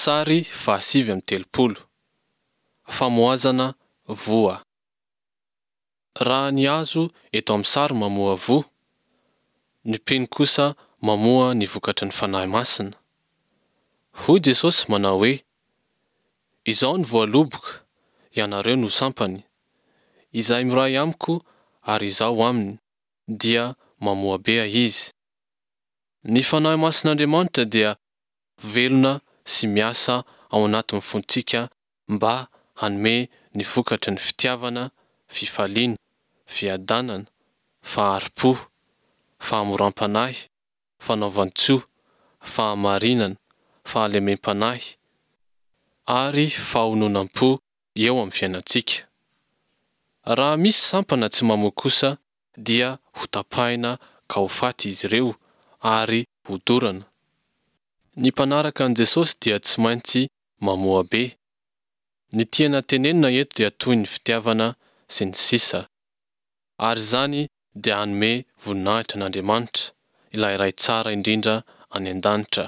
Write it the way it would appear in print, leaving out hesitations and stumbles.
Sary faha-39. Famoazana voa. Raha ny hazo eto amin'ny sary mamoa voa, ny mpino kosa mamoa ny vokatry ny Fanahy Masina. Hoy Jesosy manao hoe, Izaho no voaloboka, ianareo no sampany. Izay miray amiko ary Izaho aminy, dia mamoa be izy. Ny Fanahy Masin'Andriamanitra dia velona sy miasa ao anatin'ny fontsika mba hanome ny vokatry ny fitiavana, fifaliana, fiadanana, fahari-po, fahamoram-panahy, fanaovan-tsoa, fahamarinana, fahalemem-panahy, ary fahononam-po eo amin'ny fiainantsika. Raha misy sampana tsy mamoa kosa dia hotapahina ka ho faty izy ireo ary hodorana. Ny mpanaraka an'i Jesosy dia tsy maintsy mamoa be. Ny tiana tenenina eto dia toy ny fitiavana sy ny sisa. Ary izany dia hanome voninahitra an'Andriamanitra, ilay Ray tsara indrindra any an-danitra.